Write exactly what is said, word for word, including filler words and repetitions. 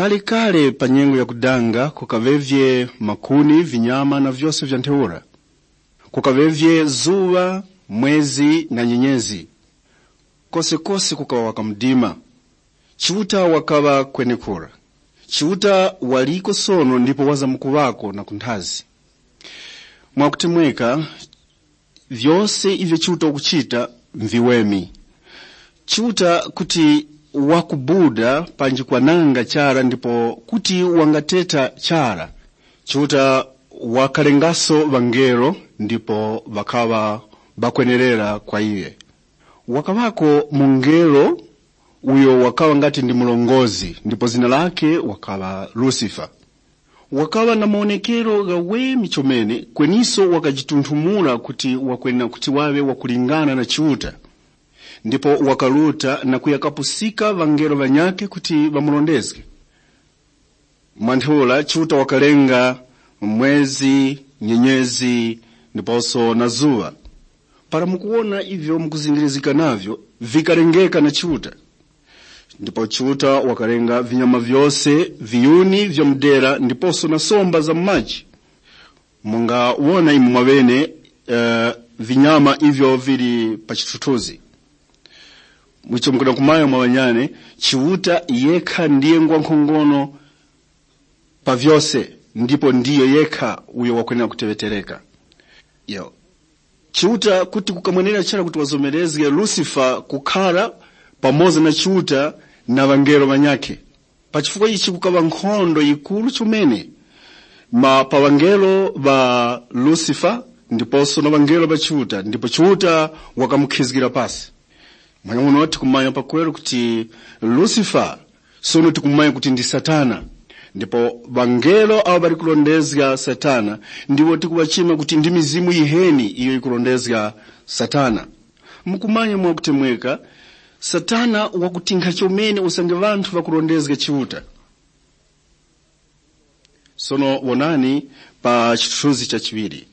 Kale-kale pa nyengo yakudanga kukaŵevye makuni, vinyama na vyose vya ntheura. Kukaŵevye zuŵa, mwezi na nyenyezi. Kosekose kukaŵa waka mdima. Chiuta wakaŵa kwenekura. Chiuta waliko sono ndipo wazamkuŵako na kunthazi. Mwakutemweka, vyose ivyo Chiuta wakuchita mviweme. Chiuta kuti wakubuda panji kwananga chara ndipo kuti wangateta chara. Chiuta wakalengaso ŵangelo ndipo ŵakaŵa ŵakwenerera kwa iye. Wakaŵako mungelo uyo wakaŵa ngati ndi murongozgi ndipo zina lakhe wakaŵa Lusifa. Wakaŵa na mawonekero ghaweme chomene, kweniso wakajitunthumura kuti wakwenera kuti waŵe wakulingana na Chiuta. Ndipo wakaruta na kuya kapusika ŵangelo ŵanyakhe kuti ŵamurondezge. Mwa ntheura Chiuta wakalenga mwezi, nyenyezi, ndiposo na zuŵa. Para mukuwona ivyo mukuzingirizika navyo, vikalengeka na Chiuta. Ndipo Chiuta wakalenga vinyama vyose, viyuni vya mu dera ndiposo na somba za mu maji. Mungawona imwe mwaŵene uh, vinyama ivyo vili pa chithuthuzi. Mwicho mukudamkumanya mwa ŵanyane, Chiuta yekha ndiye ngwa nkhongono pa vyose, ndipo ndiyo yekha uyo wakwenera kuteŵetereka. Yo. Chiuta kuti kukamwenera chara kuti wazomerezge Lusifa kukhara pamoza na Chiuta na ŵangelo ŵanyakhe. Pa chifukwa ichi kukaŵa nkhondo yikuru chomene ma pa ŵangelo ŵa Lusifa ndiposo na ŵangelo ŵa Chiuta, ndipo Chiuta wakamukhizgira pasi. Mwamuno tikumanya pakweru kuti Lusifa sono tikumanya kuti ndi Satana, ndipo ŵangelo abo ŵali kurondezga Satana ndiwo tikuŵachima kuti ndi mizimu yiheni iyo yikurondezga Satana. Mukumanya mwakutemweka, Satana wakutinkha chomene usange ŵanthu ŵakurondezga Chiuta. Sono wonani pa chithunzi cha chiŵiri.